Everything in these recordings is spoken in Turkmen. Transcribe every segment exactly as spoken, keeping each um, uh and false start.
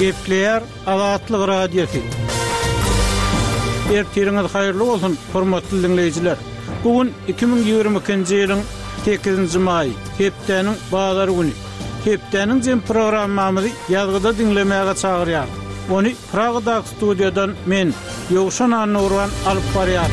Gepleýär Azatlyk Radiosy. Ertiriňiz haýyrly bolsun, hormatly diňleýjiler. Bu gün iki müň ýigrimi ikinji ýylyň sekizinji maýy, hepdäniň bazar güni. Hepdäniň jem programmamyzy ýazgyda diňlemäge çagyrýar. Ony Pragadaky studiýadan men, Ýowşan Annurban alyp barýar.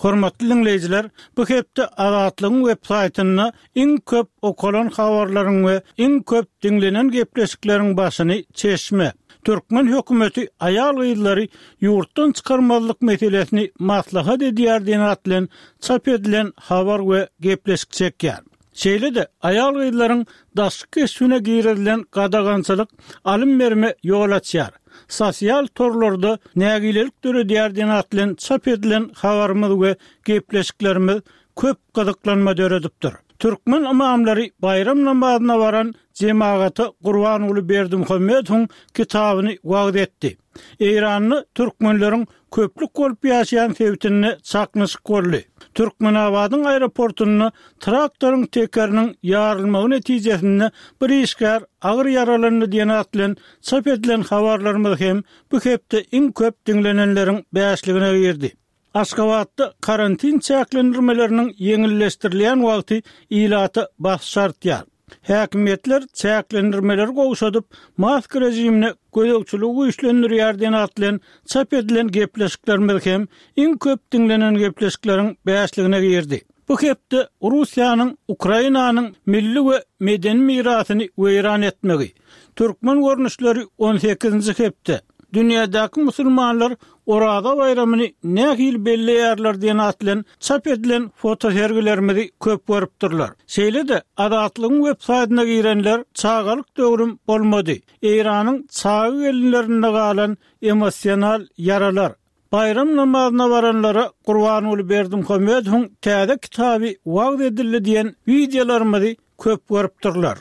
Hormatly diňleýjiler, bu hepde Azatlygyň web saýtynda iň köp okalan habarlaryň we iň köp diňlenen gepleşikleriň başyny Çeşme, türkmen hökümeti aýal-gyzlary ýurtdan çykarmazlyk meselesini maslahat edýär diýen at bilen çap edilen habar we gepleşik çekýär. Şeýle-de aýal-gyzlaryň daşky keşbine girizilen gadagançylyk alym berme ýol açýar. Sosial torlarda nägilelik döredýär diýen at bilen çap edilen habarymyz we gepleşiklerimiz köp gyzyklanma döredipdir. Türkmen ymamlary baýram namazyna baran jemagata Gurbanguly Berdimuhamedowyň kitabyny wagyz etdi. Eýranda türkmenleriň köplük bolup ýaşaýan sebitinde çaknyşyk boldy. Türkmenabadyň aeroportunda traktoryň tekeriniň ýarylmagy netijesinde bir işgär agyr ýaralandy diýen at bilen çap edilen habarlarymyz hem bu hepde iň köp diňlenenleriň bäşligine girdi. Aşgabatda karantin çäklendirmeleriniň ýeňilleşdirilýän wagty ilata basyş artýar. Häkimiýetler çäklendirmeleri gowşadyp, maska rejimine gözegçiligi güýçlendirýär diýen at bilen çap edilen gepleşiklerimiz hem iň köp diňlenen gepleşikleriň bäşligine girdi. Bu hepde Russiýanyň Ukrainanyň milli we medeni mirasyny weýran etmegi, türkmen görnüşleri on sekizinji hepde, dünýädäki musulmanlar Oraza baýramyny nähili belleýärler diýen at bilen çap edilen fotosergilerimizi köp görüpdirler. Şeýle-de Azatlygyň web saýtyna girenler çagalyk döwrüm bolmady, Eýranyň çaga gelinlerinde galan emosional ýaralar, Baýram namazyna baranlara Gurbanguly Berdimuhamedowyň täze kitaby wagyz edildi diýen wideolarymyzy köp görüpdirler.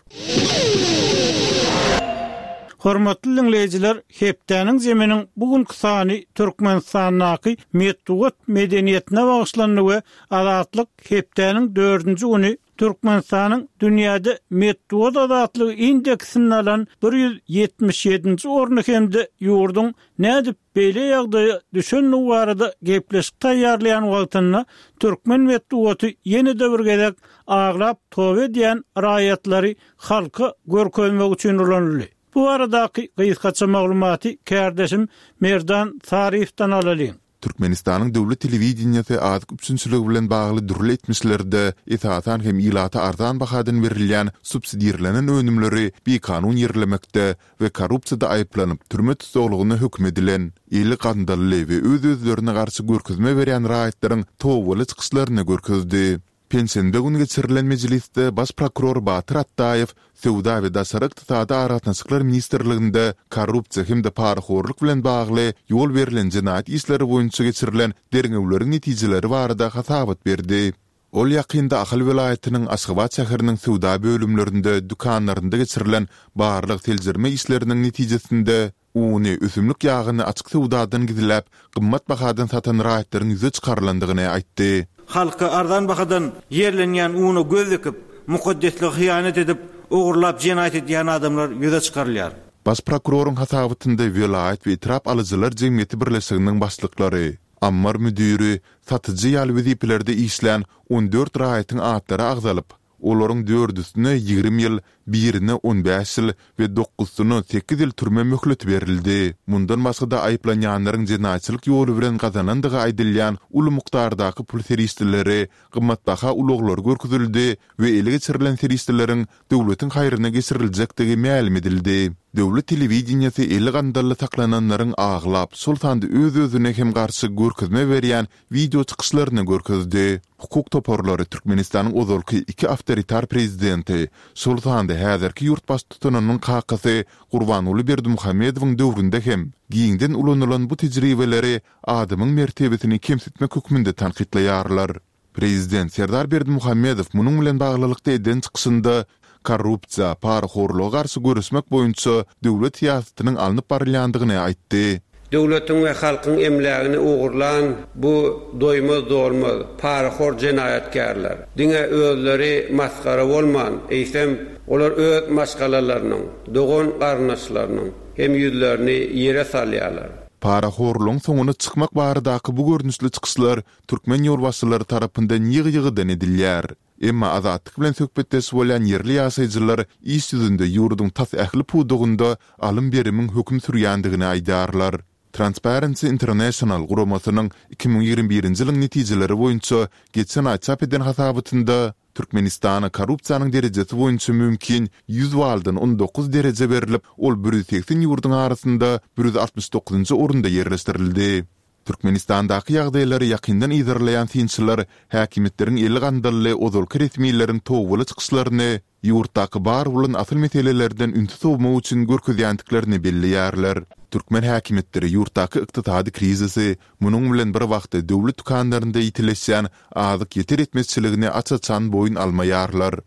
Hormatly diňleýjiler, hepdäniň zeminiň bu günki sany Türkmenistandaky metbugat medeniýetine bagyşlandy we Azatlyk hepdäniň dördünji güni Türkmenistanyň dünýäde metbugat azatlygy indeksinde alan bir ýüz ýetmiş ýedinji orny hem-de ýurduň nädip beýle ýagdaýa düşendigi barada gepleşik taýýarlaýan wagtynda türkmen metbugaty ýene-de bir gezek aglap toba edýän raýatlary halka görkezmek üçin ulanyldy. Bu baradaky gysgaça maglumaty kärdeşim Merdan Saryýewden alalyň. Türkmenistanyň döwlet telewideniýesi azyk üpjünçiligi bilen bagly dürli etmişlerde, esasan hem ilata arzan bahadan berilýän subsidirlenen önümleri bikanun ýerlemekde we korrupsiýada aýyplanyp, türme tussaglygyna höküm edilen, eli gandally we öz-özlerine garşy görkezme berýän raýatlaryň tobaly çykyşlaryny görkezdi. Penşenbe güni geçirilen mejlisde baş prokuror Batyr Atdaýew Söwda we daşary ykdysady aragatnaşyklar ministrliginde korrupsiýa hem-de parahorluk bilen bagly ýol berlen jenaýat işleri boýunça geçirilen derňewleriň netijeleri barada hasabat berdi. Ol ýakynda Ahal welaýatynyň Aşgabat şäheriniň söwda bölümlerinde, dükanlarynda geçirilen barlag-seljerme işleriniň netijesinde uny, ösümlik ýagyny açyk söwdadan gizläp, gymmat bahadan satan raýatlaryň ýüze çykarylandygyny aýtdy. Halka arzan bahadan ýerlenýän una göz dikip, mukaddeslige hyýanat edip, ogurlap jenaýat edýän adamlar ýüze çykarylýar. Baş prokuroryň hasabatynda welaýat we etrap alyjylar jemgyýeti birleşiginiň başlyklary, ammar müdiri, satyjy ýaly wezipelerde işlän on dört raýatyň atlary agzalyp, olaryň dördüsine ýigrimi ýyl, birine on bäş ýyl we dokuzsyna sekiz ýyl türme möhleti berildi. Mundan başga-da aýyplanýanlaryň jenaýatçylyk ýoly bilen gazanandygy aýdylýan uly mukdardaky pul serişdeleri, gymmatbaha ulaglary görkezildi we ele geçirilen serişdeleriň döwletiň haýryna geçiriljekdigi mälim edildi. Döwlet telewideniýesi eli gandally saklananlaryň aglap, şol sanda öz-özüne hem garşy görkezme berýän wideo çykyşlaryny görkezdi. Hukuk toparlary Türkmenistanyň ozalky iki awtoritar prezidenti, şol sanda häzirki ýurt baştutanynyň kakasy Gurbanguly Berdimuhamedowyň döwründe hem giňden ulanylan bu tejribeleri adamyň mertebesini kemsitmek hökmünde tankytlaýarlar. Prezident Serdar Berdimuhamedow munuň bilen baglylykda eden çykyşynda korrupsiýa, parahorluga garşy göreşmek boýunça döwlet syýasatynyň alnyp barylýandygyny aýtdy. Döwletiň we halkyň emlägini ogurlan bu doýmaz-dolmaz, parahor jenaýatkärler diňe özleri masgara bolman, eýsem, olar öz maşgalalarynyň, dogan-garyndaşlarynyň hem ýüzlerini ýere salýarlar. Parahorlugyň soňuna çykmak baradaky bu görnüşli çykyşlar türkmen ýolbaşçylary tarapyndan ýygy-ýygydan edilýär. Emma Azatlyk bilen söhbetdeş bolýan ýerli ýaşaýjylar iş ýüzünde ýurduň tas ähli pudagynda alym-berimiň höküm sürýändigini aýdýarlar. Transparency International guramasynyň iki müň ýigrimi birinji ýylyň netijeleri boýunça geçen aý çap eden hasabatynda Türkmenistana korrupsiýanyň derejesi boýunça mümkin ýüz baldan on dokuz dereje berlip, ol bir ýüz segsen ýurduň arasynda bir ýüz altmyş dokuzynjy orunda ýerleşdirildi. Türkmenistandaky ýagdaýlary ýakyndan yzarlaýan synçylar häkimiýetleriň eli gandally ozalky resmileriň tobaly çykyşlaryny ýurtdaky bar bolan asyl meselelerden ünsi sowmak üçin görkezýändiklerini belleýärler. Türkmen häkimiýetleri ýurtdaky ykdysady krizisi, munuň bilen bir wagtda döwlet dükanlarynda ýitileşýän azyk ýeter-ýetmezçiligini aç-açan boýun almaýarlar.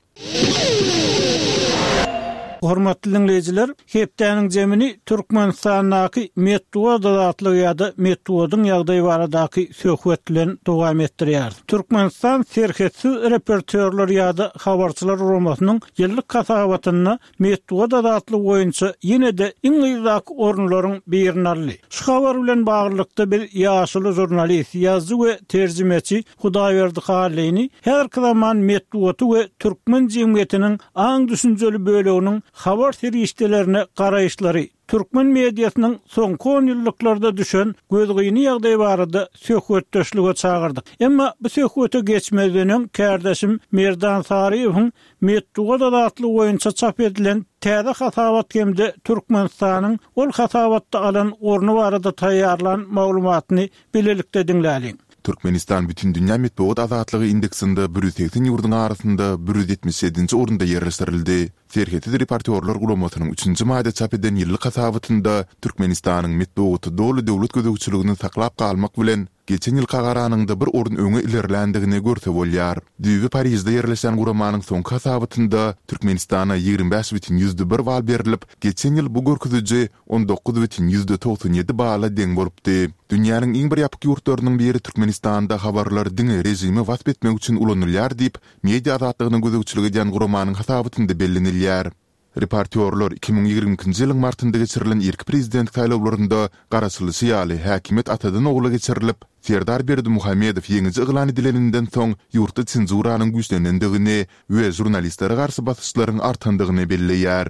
Hormatly dinleýjiler, hepdäniň jemini Türkmenistandaky metbugat azatlygy ýa-da metbugatyň ýagdaýy baradaky söhbet bilen dowam etdirýär. Türkmenistan serhetsiz reportýorlar ýa-da habarçylar guramasynyň ýyllyk hasabatynda metbugat azatlygy boýunça ýene-de iň yzdaky orunlaryň birini aldy. Şu habar bilen baglylykda bir ýaşuly žurnalist, ýazyjy we terjimeçi Hudaýberdi Hallyny häzirki zaman metbugaty we türkmen jemgyýetiniň aň düşünjeli böleginiň habar serişdelerine garaýyşlary, türkmen mediasynyň soňky on ýyllyklarda düşen gözgyny ýagdaýy barada söhbetdeşlige çagyrdyk. Emma bu söhbete geçmezden öň kärdeşim Merdan Saryýewiň metbugat azatlygy boýunça çap edilen täze hasabat hem-de Türkmenistanyň ol hasabatda alan orny barada taýýarlan maglumatyny bilelikde diňläliň. Türkmenistan Bütindünýä metbugat azatlygy indeksinde bir ýüz segsen ýurduň arasynda bir ýüz ýetmiş ýedinji orunda ýerleşdirildi. Serhetsiz reportýorlar guramasynyň üçünji maýda çap eden ýyllyk hasabatynda Türkmenistanyň metbugaty doly döwlet gözegçiligini saklap galmak bilen geçen ýylka garanyňda bir orun öňe ilerländigini görse bolýar. Düýbi Parižde ýerleşen guramanyň soňky hasabatynda Türkmenistana ýigrimi bäş bütin ýüzde bir bal berlip, geçen ýyl bu görkeziji on dokuz bütin ýüzde togsan ýedi bala deň bolupdy. Dünýäniň iň bir ýapyk ýurtlarynyň biri Türkmenistanda habarlar diňe režimi wasp etmek üçin ulanylýar diýip, media azatlygyna gözegçilik edýän guramanyň hasabatynda bellenilýär. Reportýorlar iki müň ýigrimi ikinji ýylyň martynda geçirilen irki prezident saýlawlarynda garaşylyşy ýaly häkimiýet atadan ogla geçirilip, Serdar Berdimuhamedow ýeňiji yglan edileninden soň ýurtda senzuranyň güýçlenendigini we žurnalistlere garşy basyşlaryň artandygyny belleýär.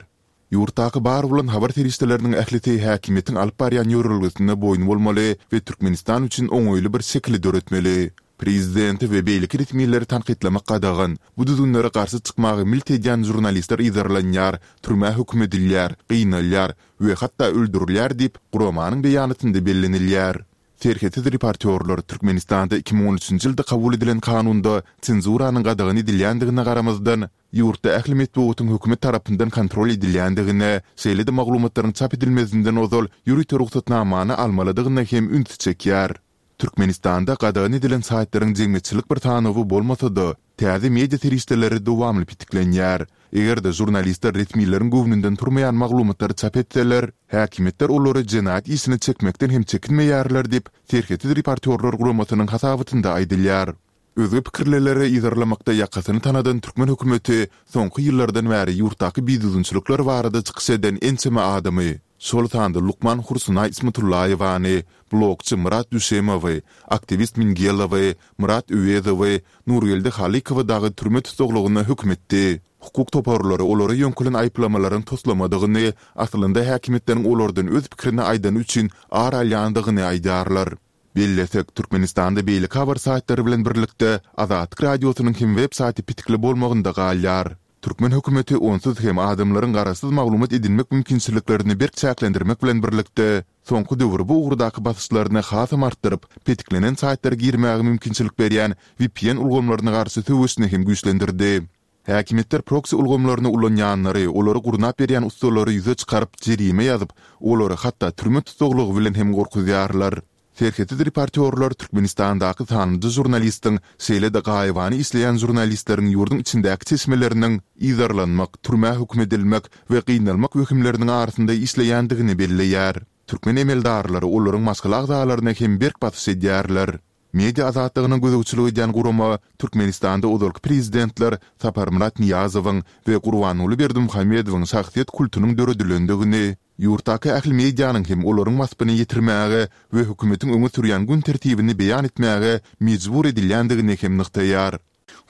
Ýurtdaky bar bolan habar serişdeleriniň ählisi häkimiýetiň alyp barýan ýörelgesine boýun bolmaly we Türkmenistan üçin oňaýly bir şekili döretmeli. Prezidenti we beýleki resmileri tankytlamak gadagan, bu düzgünlere garşy çykmagy milt edýän žurnalistler yzarlanýar, türmä höküm edilýär, gynalýar we hatda öldürilýär diýip, guramanyň beýanatynda bellenilýär. Serhetsiz reportýorlar Türkmenistanda iki müň on üçünji ýylda kabul edilen kanunda senzuranyň gadagan edilýändigine garamazdan, ýurtda ähli metbugatyň hökümet tarapyndan kontrol edilýändigine, şeýle-de maglumatlaryň çap edilmezinden ozal ýörite rugsatnamany almalydygyna hem ünsi çekýär. Türkmenistanda gadagan edilen saýtlaryň jemgyýetçilik bir sanawy bolmasa-da, täze media serişdeleri dowamly pitiklenýär. Eger-de žurnalistler resmileriň göwnünden turmaýan maglumatlary çap etseler, häkimiýetler olary jenaýat işine çekmekden hem çekinmeýärler diýip, Serhetsiz reportýorlar guramasynyň hasabatynda aýdylýar. Özge pikirlileri yzarlamakda ýakasyny tanadan türkmen hökümeti soňky ýyllardan bäri ýurtdaky bidüzgünçilikler barada çykyş eden ençeme adamy, şol sanda lukman Hursunaý Ismatullaýewany, blogçy Myrat Düşemowy, aktiwist Mingelowy, Myrat Öwezowy, Nurgeldi Halykowy dagy türme tussaglygyna höküm etdi. Hukuk toparlary olara ýöňkelen aýyplamalaryň toslamadygyny, aslynda häkimiýetleriň olardan öz pikirini aýdany üçin ar alýandygyny aýdýarlar. Bellesek, Türkmenistanda beýleki habar saýtlary bilen birlikde Azatlyk Radiosynyň hem web saýty pitikli bolmagynda galýar. Türkmen hökümeti onsuz hem adamlaryň garaşsyz maglumat edinmek mümkinçiliklerini berk çäklendirmek bilen birlikde, soňky döwür bu ugurdaky basyşlaryny hasam artdyryp, petiklenen saýtlara girmäge mümkinçilik berýän V P N ulgamlaryna garşy söweşini hem güýçlendirdi. Häkimiýetler proksi ulgamlaryny ulanýanlary, olary gurnap berýän ussalary ýüze çykaryp, jerime ýazyp, olary hatda türme tussaglygy bilen hem gorkuzýarlar. Serhetsiz reportýorlar Türkmenistandaky sanlyja žurnalistiň, şeýle-de gaýybana işleýän žurnalistleriň ýurduň içindäki çeşmeleriniň yzarlanmak, türmä höküm edilmek we gynalmak wehimleriniň arasynda işleýändigini belleýär. Türkmen emeldarlary olaryň maşgala agzalaryna hem berk basyş edýärler. Media azatlygyna gözegçilik edýän gurama Türkmenistanda ozalky prezidentler Saparmyrat Nyýazowyň we Gurbanguly Berdimuhamedowyň şahsyýet kultunyň döredilendigini, ýurtdaky ähli medianyň hem olaryň waspyny ýetirmäge we hökümetiň öňe sürýän gün tertibini beýan etmäge mejbur edilýändigini hem nygtaýar.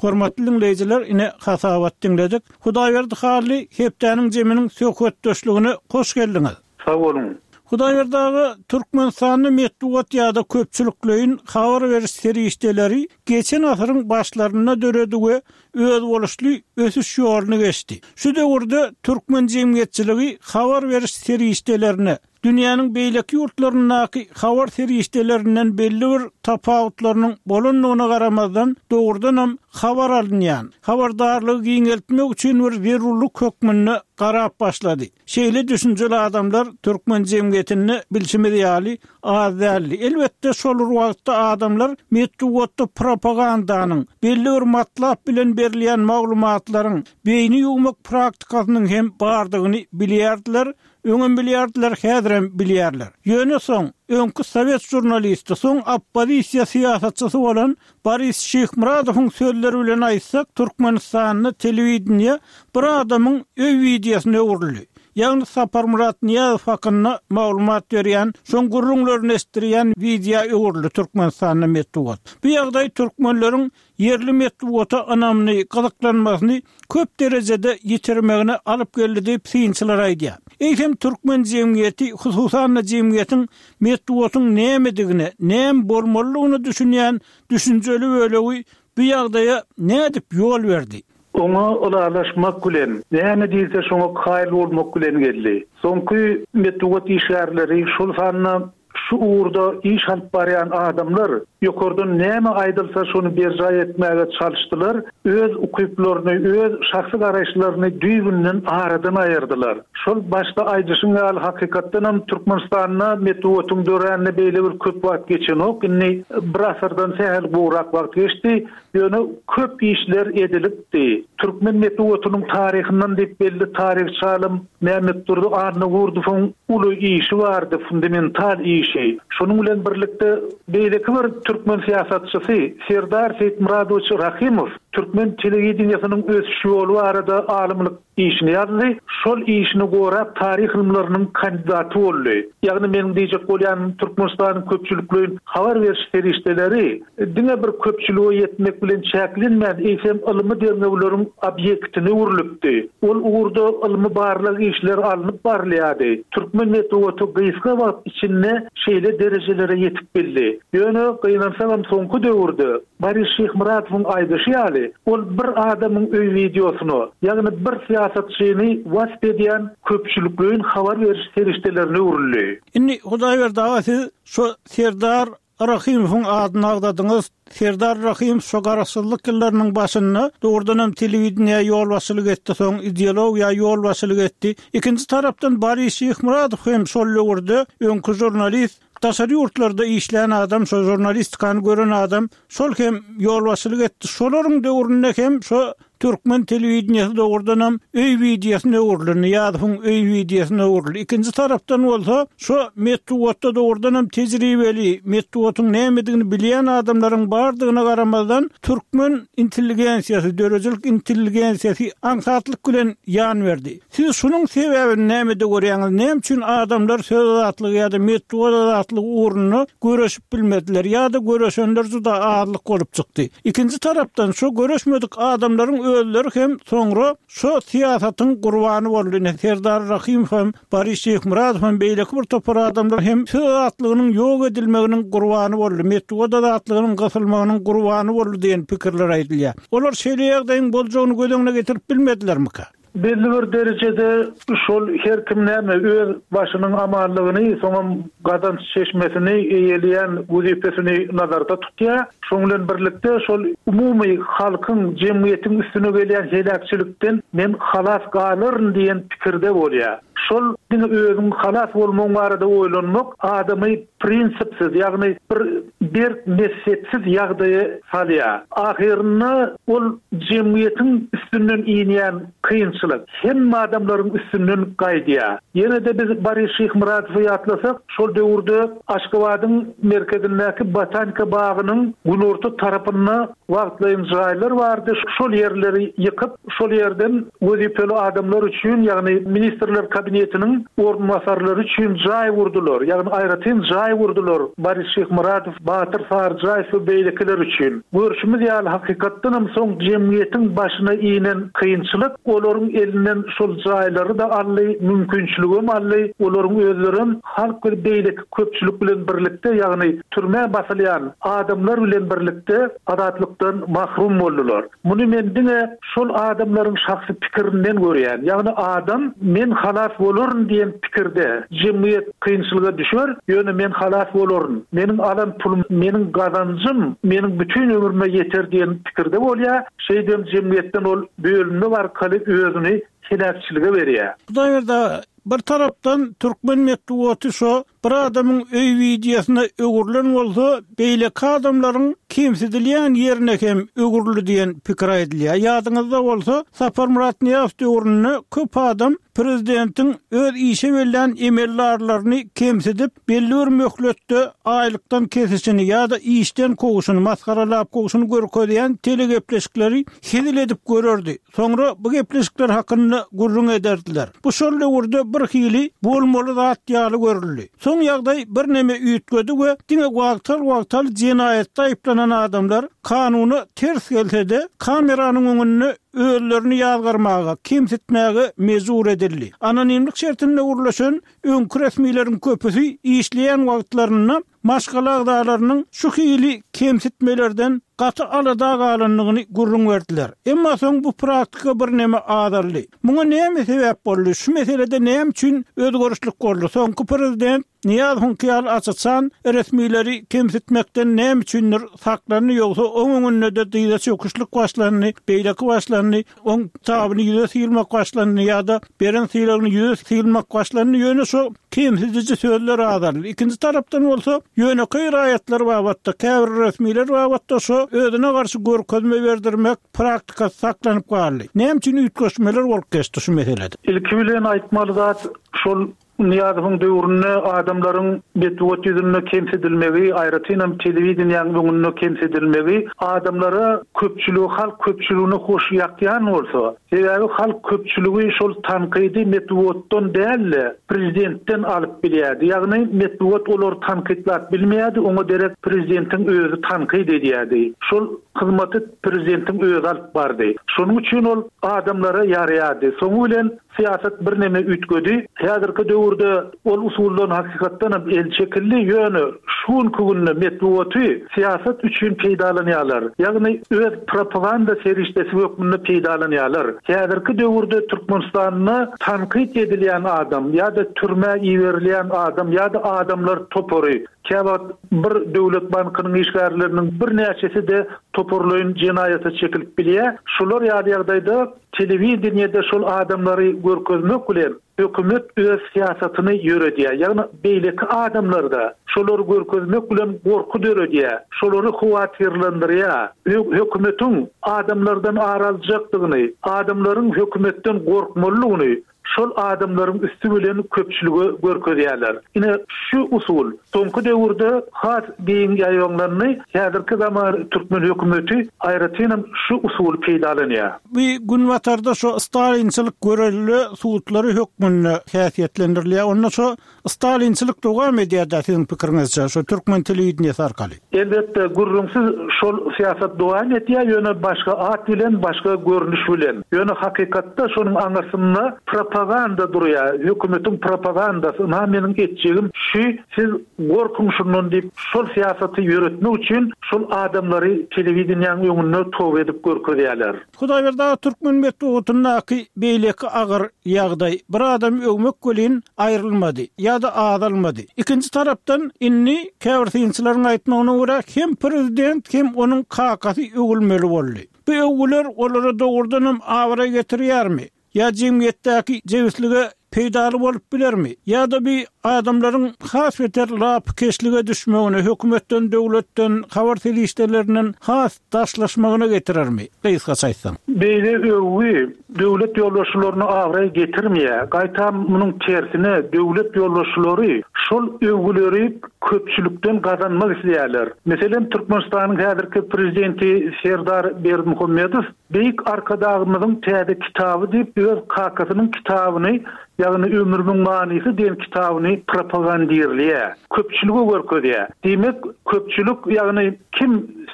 Hormatly diňleýjiler, ine hasabat diňledik. Hudaýberdi Hally hepdäniň jeminiň söhbetdeşligine hoş geldiňiz. Sag boluň. Hudaýberdi aga, Türkmenistanda metbugat ýa-da köpçülikleýin habar beriş serişdeleri geçen asyryň başlarynda döredi we özboluşly ösüş ýoluny geçdi. Şu döwürde türkmen jemgyýetçiligi habar beriş serişdelerine dünýäniň beýleki ýurtlaryndaky habar serişdelerinden belli bir tapawutlarynyň bolandygyna garamazdan dogrudanam habar alynýan, habardarlygy giňeltmek üçin bir zerurlyk hökmünde garap başlady. Şeýle düşünjeli adamlar türkmen jemgyýetinde bilşimiz ýaly az däldi. Elbetde şol wagtda adamlar metbugatda propagandanyň, belli bir matlap bilen berilýän maglumatlaryň beýni ýuwmak praktikasynyň hem bardygyny bilýärdiler, öňem bilýärdiler, häzirem bilýärler. Ýöne soň öňki sowet žurnalisti, soň oppozisiýa syýasatçysy bolan Boris Şyhmyradowyň sözleri bilen aýtsak, Türkmenistanda telewideniýe bir adamyň öý wideosyna öwrüldi. Ýagny Saparmyrat Nyýazow hakynda maglumat berýän, soň gürrüňlerini eşitdirýän wideo öwrüldi Türkmenistanda metbugat. Bu ýagdaý türkmenleriň ýerli metbugata ynamyny, gyzyklanmasyny köp derejede ýitirmegine alyp geldi diýip synçylar aýdýar. Eýsem türkmen jemgyýeti, hususan-da jemgyýetiň metbugatyň nämedigine, näme bolmalydygyny düşünýän düşünjeli bölegi bu ýagdaýa nädip ýol berdi? Oňa ylalaşmak bilen, näme diýse şoňa kaýyl bolmak bilen geldi. Soňky metbugat işgärleri şol sanda şu uğurda iş alyp barýan adamlar ýokardan näme aýdylsa şony berjaý etmäge çalyşdylar, öz ukyplaryny, öz şahsy garaýyşlaryny düýbünden aradan aýyrdylar. Şol başda aýdyşyň ýaly hakykatdan hem Türkmenistanda metbugatyň döränine beýle bir köp wagt geçenok. Indi bir asyrdan sähel gowrak wagt geçdi. Ýöne köp işler edilipdi. Türkmen metbugatynyň taryhyndan diýip belli taryhçy alym Mehmet Durdy Annagurdowyň uly işi bardy, fundamental işi. Şonuň bilen birlikde beýleki bir türkmen syýasatçysy Serdar Seýitmuradowiç Rahimow türkmen telewideniýesiniň ösüş ýoly barada alymlyk işini ýazdy. Şol işini gorap taryh ylymlarynyň kandidaty boldy. Ýagny meniň diýjek bolýanym Türkmenistanyň köpçülikleýin habar beriş serişdeleri diňe bir köpçülige ýetmek bilen çäklenmän, eýsem ylmy derňewleriň obýektine öwrülipdi. Ol ugurda ylmy barlag işleri alnyp barylýardy. Türkmen metbugaty gysga wagt içinde şeýle derejelere ýetip bildi. Ýöne gynansagam soňky döwürde Boris Şyhmyradowyň aýdyşy ýaly, ol bir adamyň öý wideosyna, ýagny bir syýasatçyny wasp edýän köpçülikleýin habar beriş serişdelerine öwrüldi. Indi Hudaýberdi aga siz şu Serdar Rahimowyň adyny agzadyňyz. Serdar Rahimow şu garaşsyzlyk ýyllarynyň başynda dogrudanam telewideniýä ýolbaşçylyk etdi, soň ideologiýa ýolbaşçylyk etdi. Ikinji tarapdan Boris Şyhmyradow hem şol döwürde öňki žurnalist, daşary ýurtlarda işleýän adam, şo žurnalistikany gören adam, şol hem ýolbaşçylyk etdi. Şolaryň döwründe hem şo türkmen telewideniýesi dogrudanam öý wideosyna öwrüldi, Nyýazowyň öý wideosyna öwrüldi. Ikinji tarapdan bolsa şo metbugatda dogrudanam tejribeli, metbugatyň nämedigini bilýän adamlaryň bardygyna garamazdan türkmen intelligensiýasy, döredijilik intelligensiýasy aňsatlyk bilen ýan berdi. Siz şunuň sebäbini nämede görýäňiz? Näme üçin adamlar söz azatlygy ýa-da metbugat azatlygy ugrunda göreşip bilmediler ýa-da göreşenler juda azlyk bolup çykdy? Ikinji tarapdan şo göreşmedik adamlaryň özleri hem soňra şo syýasatyň gurbany boldy. Ine Serdar Rahimow hem, Boris Şyhmyradow hem beýleki bir topar adamlar hem söz azatlygynyň ýok edilmeginiň gurbany boldy, metbugat azatlygynyň gysylmagynyň gurbany boldy diýen pikirler aýdylýar. Olar şeýle ýagdaýyň boljagyny göz öňüne getirip bilmedilermika? Belli bir derejede şol her kim näme öz başynyň amanlygyny, soňam gazanç çeşmesini eýeleýän wezipesini nazarda tutýar. Şoň bilen birlikde şol umumy halkyň, jemgyýetiň üstüne gelýän heläkçilikden men halas galaryn diýen pikirde bolýar. Şol diňe özüň halas bolmagyň barada oýlanmak adamy prinsipsiz, ýagny bir berk mezhepsiz ýagdaýa salýar. Ahyrynda ol jemgyýetiň üstünden inýän kynçylyk hemme adamlaryň üstünden gaýdýar. Ýene-de biz Boris Şyhmyradowy ýatlasak, şol döwürde Aşgabadyň merkezindäki Botanika bagynyň günorta tarapynda wagtlaýyn jaýlar bardy. Şol ýerleri ýykyp, şol ýerden wezipeli adamlar üçin, ýagny ministrler kabinetiniň orunbasarlary üçin jaý gurdular. Ýagny aýratyn jaý gurdular Boris Şyhmyradow, Batyr Saryjaýew we beýlekiler üçin. Görşümiz ýaly hakykatdan hem soň jemgyýetiň başyna inen kynçylyk olaryň elinden şol jaýlary-da aldy, mümkinçiligem aldy. Olaryň özlerem halk we beýleki köpçülik bilen birlikde, ýagny türmä basylýan adamlar bilen birlikde azatlykdan mahrum boldular. Muny men diňe şol adamlaryň şahsy pikirinden görýän. Ýagny adam men halas bolaryn diýen pikirde jemgyýet kynçylyga düşer, ýöne men halas bolaryn. Meniň alan pulum, meniň gazanjym, meniň bütün ömrüme ýeter diýen pikirde bolýar. Şeýdem jemgyýetden ol bölünmek arkaly özüni heläkçilige berýär. Hudaýberdi, bir tarapdan türkmen metbugaty şo bir adamyň öý wideosyna öwrülen bolsa, beýleki adamlaryň kemsidilýän ýerine hem öwrüldi diýen pikir aýdylýar. Ýadyňyzda bolsa, Saparmyrat Nyýazow döwründe köp adam prezidentiň öz işe bellän emeldarlaryny kemsidip, belli bir möhletde aýlykdan kesişini ýa-da işden kowuşyny, masgaralap kowuşyny görkezýän telegepleşikleri hezil edip görerdi. Soňra bu gepleşikler hakynda gürrüň ederdiler. Bu şol döwürde bir hili bolmaly zat ýaly görüldi. Soň ýagdaý bir neme üýtgedi we diňe wagtal-wagtal jenaýatda aýyplanan adamlar kanuna ters gelse-de kameranyň öňünde özlerini ýazgarmaga, kemsitmäge mejbur edildi. Anonimlik şertinde gurlaşan öňki resmileriň köpüsi işleýän wagtlarynda maşgala agzalarynyň şu hili kemsitmelerden gaty alada galandygyny gürrüň berdiler. Emma soň bu praktika bir neme azaldy. Muňa näme sebäp boldy? Şu meselede näme üçin özgerişlik boldy? Soňky prezident Nyýazowyň ýaly açyçan resmileri kemsitmekden näme üçindir saklandy, ýogsa oň öňünde-de dyza çöküşlik başlandy, beýleki başlandy, oň tabyny ýüze sylmak başlandy ýa-da beren sylagyny ýüze sylmak başlandy. Ýöne şu kemsidiji sözler azaldy. Ikinji tarapdan bolsa, ýönekeý raýatlar babatda, käbir resmiler babatda şu özüne garşy görkezme berdirmek praktikasy saklanyp galdy. Näme üçin üýtgeşmeler bolup geçdi şu meselede? Ilki bilen aýtmaly zat şol Nyýazowyň döwründe adamlaryň metbugat ýüzünde kemsidilmegi, aýratynam telewideniýäniň öňünde kemsidilmegi adamlara köpçüligi, halk köpçüligine hoş ýakýan bolsa, sebäbi halk köpçüligi şol tankydy metbugatdan däl-de prezidentden alyp bilýärdi. Ýagny metbugat olary tankytlap bilmeýärdi, oňa derek prezidentiň özi tankyt edýärdi. Şol hyzmaty prezidentiň özi alyp bardy. Şonuň üçin ol adamlara ýaraýardy. Soňy bilen syýasat bir neme üýtgedi. Häzirki döwürde ol usuldan hakykatdan hem el çekildi. Ýöne şu günki günde metbugaty syýasat üçin peýdalanýarlar. Ýagny öz propaganda serişdesi hökmünde peýdalanýarlar. Häzirki döwürde Türkmenistanda tankyt edilýän adam ýa-da türmä iberilýän adam ýa-da adamlar topary, käwagt bir döwlet bankynyň işgärleriniň birnäçesi-de toparlaýyn jenaýata çekilip bilýär. Şular ýaly ýagdaýda telewideniýede şol adamlary görkezmek bilen hökümet öz syýasatyny ýöredýär. Ýagny beýleki adamlarda şolary görkezmek bilen gorky döredýär. Şolary howatyrlandyrýar. Hökümetiň adamlardan ar aljakdygyny, adamlaryň hökümetden gorkmalydygyny şol adamlaryň üstü bilen köpçüligi görkezýärler. Ine şu usul soňky döwürde has giň ýaýbaňlandy. Häzirki zaman türkmen hökümeti aýratynam şu usuly peýdalanýar. Bu günbatarda şu Stalinçilik görelde sutlary hökmünde häsiýetlendirilýär. Onda şu Stalinçilik dowam edýär-de siziň pikiriňizçe şu türkmen telewideniýesi arkaly. Elbetde gürrüňsiz şol syýasat dowam edýär, ýöne başga at bilen, başga görnüş bilen. Ýöne hakykatda şonuň aňyrsynda propaganda durýar. Hökümetiň propagandasy, ynha meniň etjegim şu, siz gorkuň şundan diýip, şol syýasaty ýöretmek üçin şol adamlary telewideniýäniň öňünde toba edip görkezýärler. Hudaýberdi aga, türkmen metbugatyndaky beýleki agyr ýagdaý bir adam öwmek welin aýrylmady ýa-da azalmady. Ikinji tarapdan indi käbir synçylaryň aýtmagyna görä hem prezident hem onuň kakasy öwülmeli boldy. Bu öwgüler olara dogrudan hem abraý getirýärmi? Ýa jemgyýetdäki jebislige peýdaly bolup bilermi? Ýa-da bir adamlaryň has beter lapykeçlige düşmegine, hökümetden, döwletden, habar serişdelerinden has daşlaşmagyna getirermi? Gysgaça aýtsaň. Beýle öwgi döwlet ýolbaşçylaryna abraý getirmeýär. Gaýtam munuň tersine döwlet ýolbaşçylary şol öwgüleri köpçülikden gazanmak isleýärler. Meselem, Türkmenistanyň häzirki prezidenti Serdar Berdimuhamedow Beýik Arkadagymyzyň täze kitaby diýip öz kakasynyň kitabyny, ýagny Ömrümiň manysy diýen kitabyny propagandirleýär. Köpçülige görkezýär. Diýmek, köpçülik, ýagny kim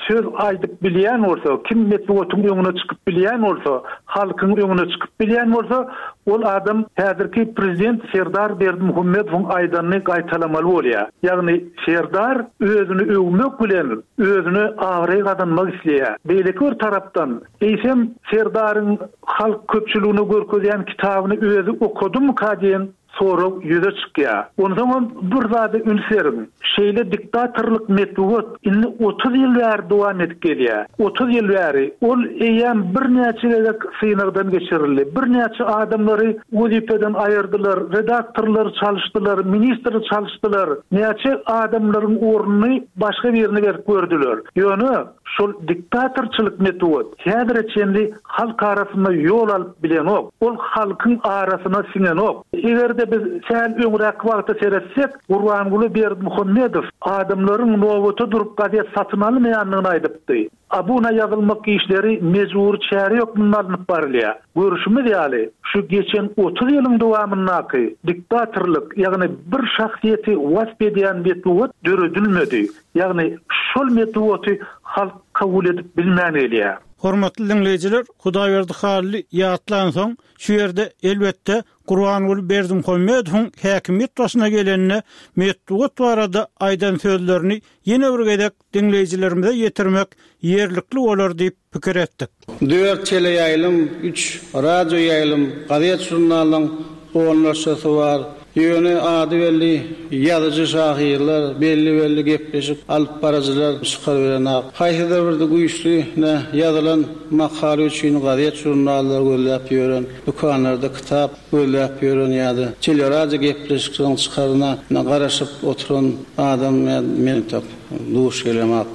söz aýdyp bilýän bolsa, kim metbugatyň öňüne çykyp bilýän bolsa, halkyň öňüne çykyp bilýän bolsa, ol adam häzirki prezident Serdar Berdimuhamedowyň aýdanyny gaýtalamaly bolýar. Ýagny Serdar özüni öwmek bilen özüne abraý gazanmak isleýär. Beýleki bir tarapdan, eýsem Serdaryň halk köpçüligine görkezýän kitabyny özi okadymyka diýen sorag ýüze çykýar. Onsoňam bir zada üns beriň. Şeýle diktatorlyk metbugat indi otuz ýyl bäri dowam edip gelýär. Otuz ýyl bäri ol eýýäm birnäçe gezek synagdan geçirildi. Birnäçe adamlary wezipeden aýyrdylar, redaktorlary çalyşdylar, ministri çalyşdylar. Näçe adamlaryň ornuny başga birine berip gördüler. Ýöne şol diktatorçylyk metbugat häzire çenli halk arasynda ýol alyp bilenok. Ol halkyň arasyna siňenok. Eger-de biz sähel öňräk wagta seretsek, Gurbanguly Berdimuhamedow adamlaryň nobata durup gazet satyn almaýandygyny aýdypdy. Abuna ýazylmak işleri mejbur çäre hökmünde alnyp barylýar. Görüşimiz ýaly, şu geçen otuz ýylyň dowamyndaky diktatorlyk, ýagny bir şahsyýeti wasp edýän metbugat döredilmedi. Ýagny şol metbugaty halk kabul edip bilmän gelýär. Hormatly dinleýjiler, Hudaýberdi Hally ýatlan soň şu ýerde elbetde Gurbanguly Berdimuhamedowyň häkimiýet başyna gelenine metbugat barada aýdan sözlerini ýene bir gezek dinleýjilerimize ýetirmek ýerlikli bolar diýip pikir etdik. Dört teleýaýlym, üç radio ýaýlym, gazet žurnalyň onlarçasy bar. Ýöne ady belli ýazyjy şahyrlar, belli-belli gepleşik alyp baryjylar çykar bilen ak. Haýsydyr bir güýçli ne ýazylan makala üçin gazet žurnallar gözläp ýören, dükanlarda kitap gözläp ýören ýa-da teleradio gepleşiklerini çykaryna garaşyp oturan adam men tak duş gelemak.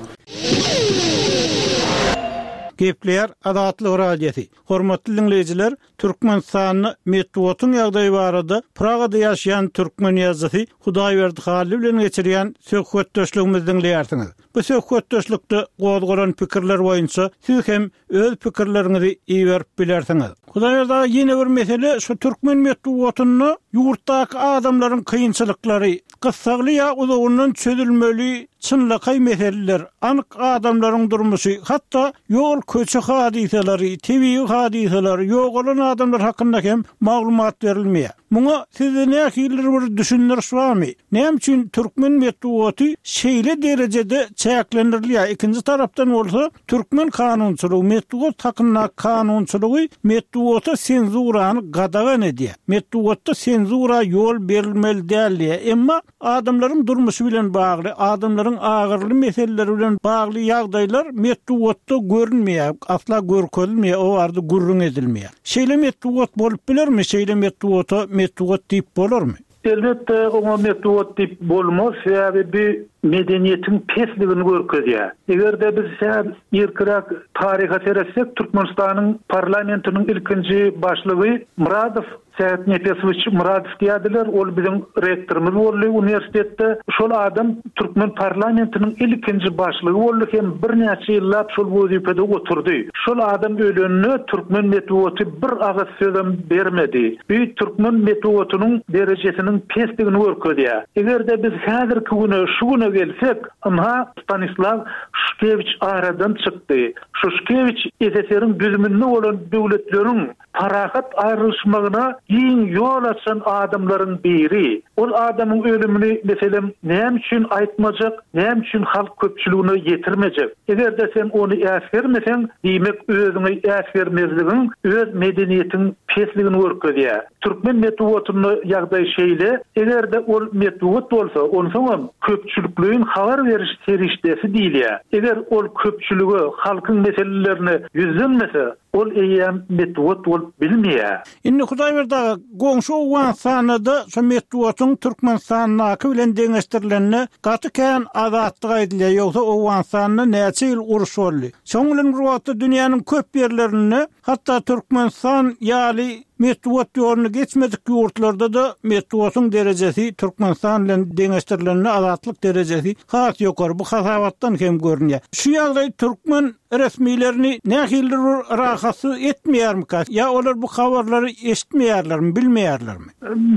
Gepleýär Azatlyk Radiosy. Hormatly dinleýjiler, Türkmenistanda metbugatyň ýagdaýy barada Pragada ýaşaýan türkmen ýazyjysy Hudaýberdi Hally bilen geçirýän söhbetdeşligimizi dinleýärsiňiz. Bu söhbetdeşlikde gozgalan pikirler boýunça siz hem öz pikirleriňizi iberip bilersiňiz. Hudaýberdi aga, ýene bir mesele şu türkmen metbugatynda ýurtdaky adamlaryň kynçylyklary, gyssagly ýa uzagyndan çözülmeli çynlakaý meseleler, anyk adamlaryň durmuşy, hatda ýol köçe hadysalary, tebigy hadysalar, ýogalan adamlar hakynda hem maglumat berilmeýär. Muňa sizde nähili bir düşündiriş barmy? Näme üçin türkmen metbugaty şeýle derejede çäklendirilýär? Ikinji tarapdan bolsa türkmen kanunçylygy, metbugat hakynda kanunçylygy metbugata senzurany gadagan edýär. Metbugatda senzura ýol berilmeli däl diýär. Emma adamlaryň durmuşy bilen bagly, adamlaryň agyrly meseleleri bilen bagly ýagdaýlar metbugatda görünmeýär, asla görkezilmeýär, o barada gürrüň edilmeýär. Şeýle metbugat bolup bilermi? Şeýle metbugata metbugat diýip bolarmy? Elbetde oňa metbugat diýip bolmaz, sebäbi bir medeniýetiň pesligini görkezýär. Eger-de biz sähel irkiräk taryha seretsek, Türkmenistanyň parlamentiniň ilkinji başlygy Muradow, Sähet Nepesowiç Muradow diýerdiler, ol biziň rektorymyz boldy uniwersitetde. Şol adam türkmen parlamentiniň ilkinji başlygy boldy hem birnäçe ýyllap şol wezipede oturdy. Şol adam ölende türkmen metbugaty bir agyz sözem bermedi. Bu türkmen metbugatynyň derejesiniň pesligini görkezýär. Eger-de biz häzirki güne, şu güne gelsek, ynha Stanislaw Şuşkewiç aradan çykdy. Şuşkewiç S S R-iň düzüminde bolan döwletleriň parahat aýrylyşmagyna giň ýol açan adamlaryň biri. Ol adamyň ölümini meselem näme üçin aýtmajak, näme üçin halk köpçüligine ýetirmejek? Eger-de sen ony äsgermeseň, diýmek özüňi äsgermezligiň, öz medeniýetiň pesligini görkezýär. Türkmen metbugatynda ýagdaý şeýle, eger-de ol metbugat bolsa, onsoňam köpçülikleýin habar beriş serişdesi diýilýär. Eger ol köpçülige, halkyň meselelerine ýüzlenmese, ol eýýäm metbugat bolup bilmeýär. Indi Hudaýberdi aga, goňşy Owganystanda şu metbugatyň Türkmenistandaky bilen deňeşdirilende gaty kän azatlyk aýdylýar. Ýogsa Owganystanda näçe ýyl uruş boldy. Şoň bilen bir wagtda dünýäniň köp ýerlerinde hatda Türkmenistan ýaly metbugat ýoluny geçmedik ýurtlarda da metbugatyň derejesi Türkmenistan bilen deňeşdirilende azatlyk derejesi has ýokary. Bu hasabatdan hem görünýär. Şu ýagdaý türkmen resmilerini nähilidir bir rahatsyz etmeýärmi? Ýa olar bu habarlary eşitmeýärlermi, bilmeýärlermi?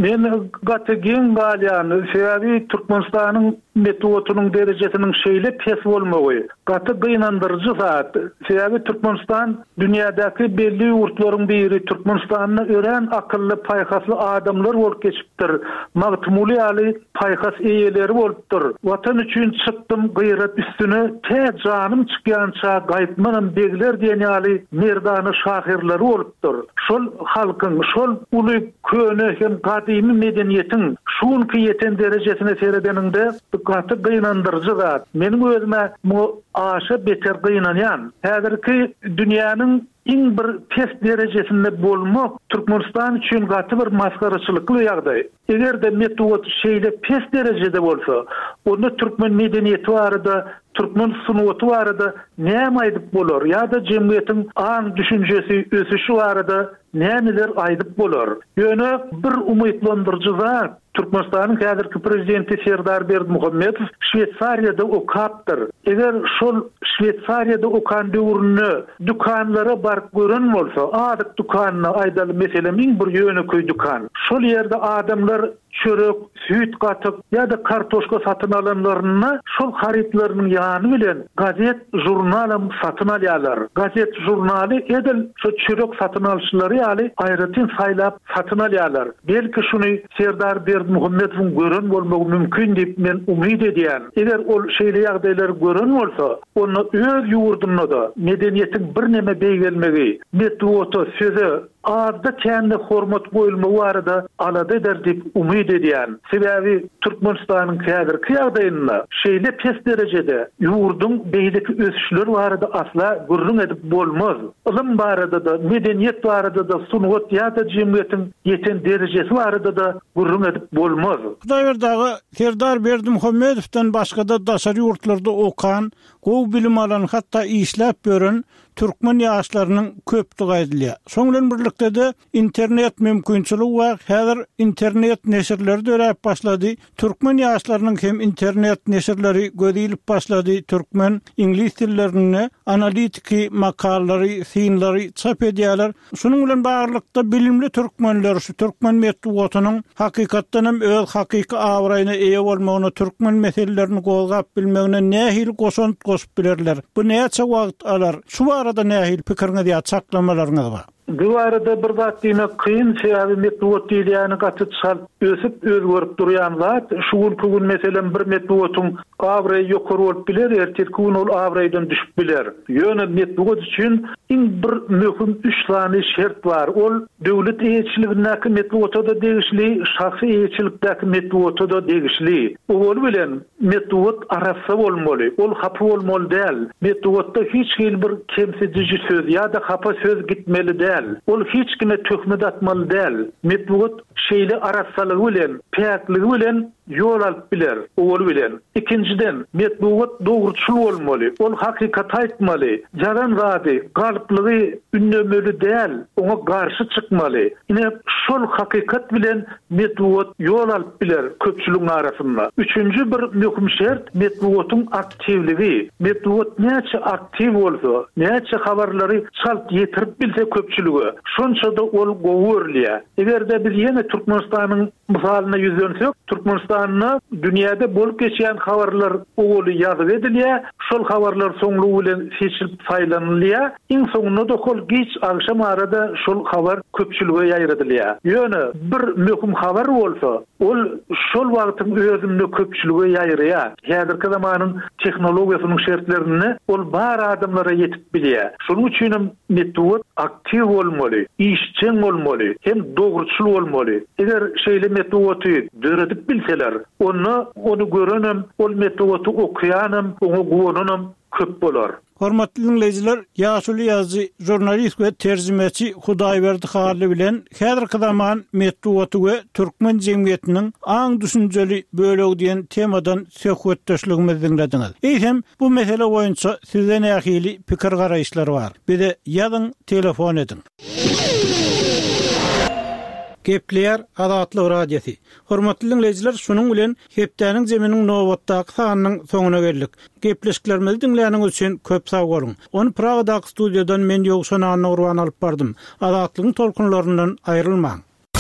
Men gaty geň galýan, sebäbi Türkmenistanyň metbugatynyň derejesiniň şeýle pes bolmagy gaty gynandyryjy zat. Sebäbi Türkmenistan dünýädäki belli ýurtlaryň biri. Türkmenistanda örän akylly, paýhasly adamlar bolup geçipdir. Magtymguly ýaly paýhas eýeleri bolupdyr. Watan üçin çykdym gyýrat üstüne, tä janym çykýança gaýtmanam begler diýen ýaly merdana şahyrlary bolupdyr. Şol halkyň, şol uly köne hem gadymy medeniýetiň şunky ýeten derejesine seredeninde gaty gynandyryjy zat. Meniň özüme bu aşa beter gynanýan. Häzirki dünýäniň iň bir pes derejesinde bolmak Türkmenistan üçin gaty bir masgaraçylykly ýagdaý. Eger de metbugat şeýle pes derejede bolsa, onda türkmen medeniýeti barada, türkmen sungaty barada näme aýdyp bolar ýa-da jemgyýetiň aň düşünjesi, ösüşi barada nämeler aýdyp bolar? Ýöne bir umytlandyryjy zat, Türkmenistanyň häzirki prezidenti Serdar Berdimuhamedow Şweýsariýada okapdyr. Eger şol Şweýsariýada okan döwründe dükanlara baryp gören bolsa, azyk dükanyna aýdaly meselem iň bir ýönekeý dükan. Şol ýerde adamlar çörek, süýt gatyk ýa-da kartoşka satyn alanlarynda şol harytlarynyň ýany bilen gazet, jurnalam satyn alýarlar. Gazet, jurnaly edil şu çörek satyn alyşlary ýaly aýratyn saýlap satyn alýarlar. Belki şuny Serdar Berdimuhamedowyň gören bolmagy mümkin diýip men umyt edýän. Eger ol şeýle ýagdaýlary gören bolsa, onda öz ýurdunda da medeniýetiň birneme beýgelmegi, metbugata, söze azda kände hormat goýulmagy barada alada eder diýip umyt edýän. Sebäbi Türkmenistanyň häzirki ýagdaýynda şeýle pes derejede ýurduň beýleki ösüşleri barada asla gürrüň edip bolmaz. Ylym barada da, medeniýet barada da, sungat ýa-da jemgyýetiň ýeten derejesi barada da gürrüň edip bolmaz. Hudaýberdi aga, Serdar Berdimuhamedowdan başga-da daşary ýurtlarda okan, gowy bilim alan, hatda işläp ýören türkmen ýaşlarynyň köpdügi aýdylýar. Şoň bilen birlikde de internet mümkinçiligi bar. Häzir internet neşirleri döräp başlady. Türkmen ýaşlarynyň hem internet neşirleri göz ilip başlady. Türkmen iňlis dillerinde analitiki makalary, synlary çap edýärler. Şunuň bilen baglylykda bilimli türkmenler şu türkmen metbugatynyň hakykatdan hem öz hakyky abraýyna eýe bolmagyna, türkmen meselelerini gozgap bilmegine nähili goşant goşup bilerler? Bu näçe wagt alar? Şu barada nähili pikiriňiz ýa çaklamalaryňyz bar? Bu arada bir zat diýmek kyn, sebäbi metbugat diýilýäni gaty çalt ösüp özgerip durýan zat. Şu günki gün meselem bir metbugatyň abraýy ýokary bolup biler, erteki gün ol abraýdan düşüp biler. Ýöne metbugat üçin iň bir möhüm üç sany şert bar. Ol döwlet eýeçiligindäki metbugata da degişli, şahsy eýeçilikdäki metbugata da degişli. Owaly bilen metbugat arassa bolmaly, ol hapa bolmaly däl. Metbugatda hiç hil bir kemsidiji söz ýa-da hapa söz gitmeli däl. Ol hiç kime töhmet atmaly däl. Metbugat şeýle arassalygy bilen, päkligi bilen ýol alyp biler, owaly bilen. Ikinjiden, metbugat dogruçyl bolmaly, ol hakykat aýtmaly, ýalan zady, galyplygy ündemeli däl, oňa garşy çykmaly. Ine şol hakykat bilen metbugat ýol alyp biler köpçüligiň arasynda. Üçünji bir möhüm şert metbugatyň aktiwligi. Metbugat näçe aktiw bolsa, näçe habarlary çalt ýetirip bilse köpçülige, şonça da ol gowy görülýär. Eger-de biz ýene Türkmenistanyň mysalyna ýüzlensek, Türkmenistanda dünýäde bolup geçýän habarlar owaly ýazyp edilýär, şol habarlar soňlugy bilen seçilip saýlanylýar. Iň soňunda da hol giç agşam arada şol habar köpçülige ýaýradylýar. Ýöne bir möhüm habar bolsa, ol şol wagtyň özünde köpçülige ýaýraýar. Häzirki zamanyň tehnologiýasynyň şertlerinde ol bar adamlara ýetip bilýär. Şonuň üçin hem metbugat aktiw bolmaly, işjeň bolmaly, hem dogruçyl bolmaly. Eger şeýle metbugaty döredip bilseler, onda ony görenem, ol metbugaty okuýanam, oňa guwananam köp bolar. Hormatly diňleýjiler, ýaşuly ýazyjy, žurnalist we terjimeçi Hudaýberdi Hally bilen häzirki zaman metbugaty we türkmen jemgyýetiniň aň-düşünjeli bölegi diýen temadan söhbetdeşligimizi diňlediňiz. Eýsem, bu mesele boýunça sizde nähili pikir-garaýyşlar bar? Bize ýazyň, telefon ediň. Gepleýär Azatlyk Radiosy. Hormatly diňleýjiler, şunuň bilen hepdäniň zeminiň nobatdaky sanynyň soňuna geldik. Gepleşiklerimizi diňläniňiz üçin köp sag boluň. Ony Pragadaky studiýadan men Ýowşan Annagurban alyp bardym. Azatlygyň tolkunlaryndan aýrylmaň.